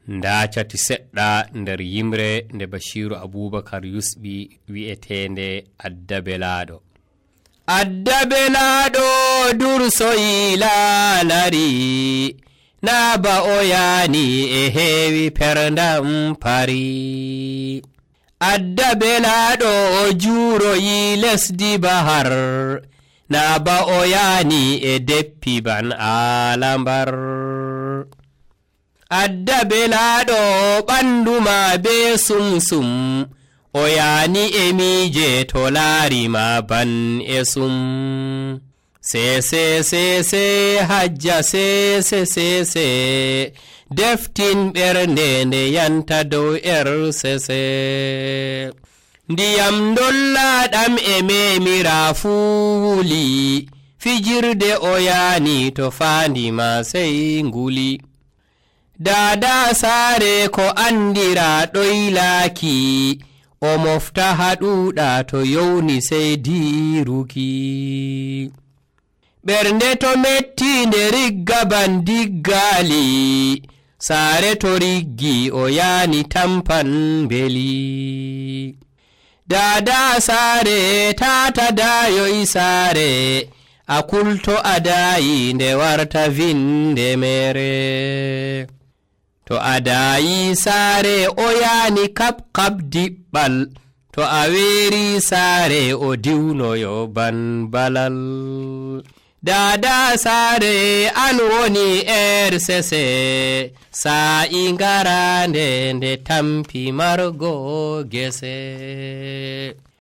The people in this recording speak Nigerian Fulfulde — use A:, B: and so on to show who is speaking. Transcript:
A: ndacati seɗɗa nder yimre nde Bashiru Abubakar yusɓi wi'etende Addabelaɗo. Addabelaɗo dursoyi lalari naba o yani e heewi perdam pari. Addabelaɗo juuroyi lesdi bahar naba o yani e deppi ban alambar. Addabelaɗo ɓanduma be sumsum o yani e miije to laarima ban e sum. Sese hajja sese deftin ɓernde nde yanta dow sese. Ndiyam dollaɗam e memira fuu wuli fijirde o yani to faandima sey nguli. Dada saare ko andira ɗoylaki o mofta haɗuɗa to yowni sey diruki. Ɓernde to metti nde rigga ban diggali saare to riggi o yani tampan beli. Dada saare tata dayoy saare a kulto a dayi nde warta vinde mere. To a dayi saare o yani kap diɓɓal to a weeri saare o diwnoyo ban balal. Dada saare an woni sese sa'i ngarande nde tampi margo gese.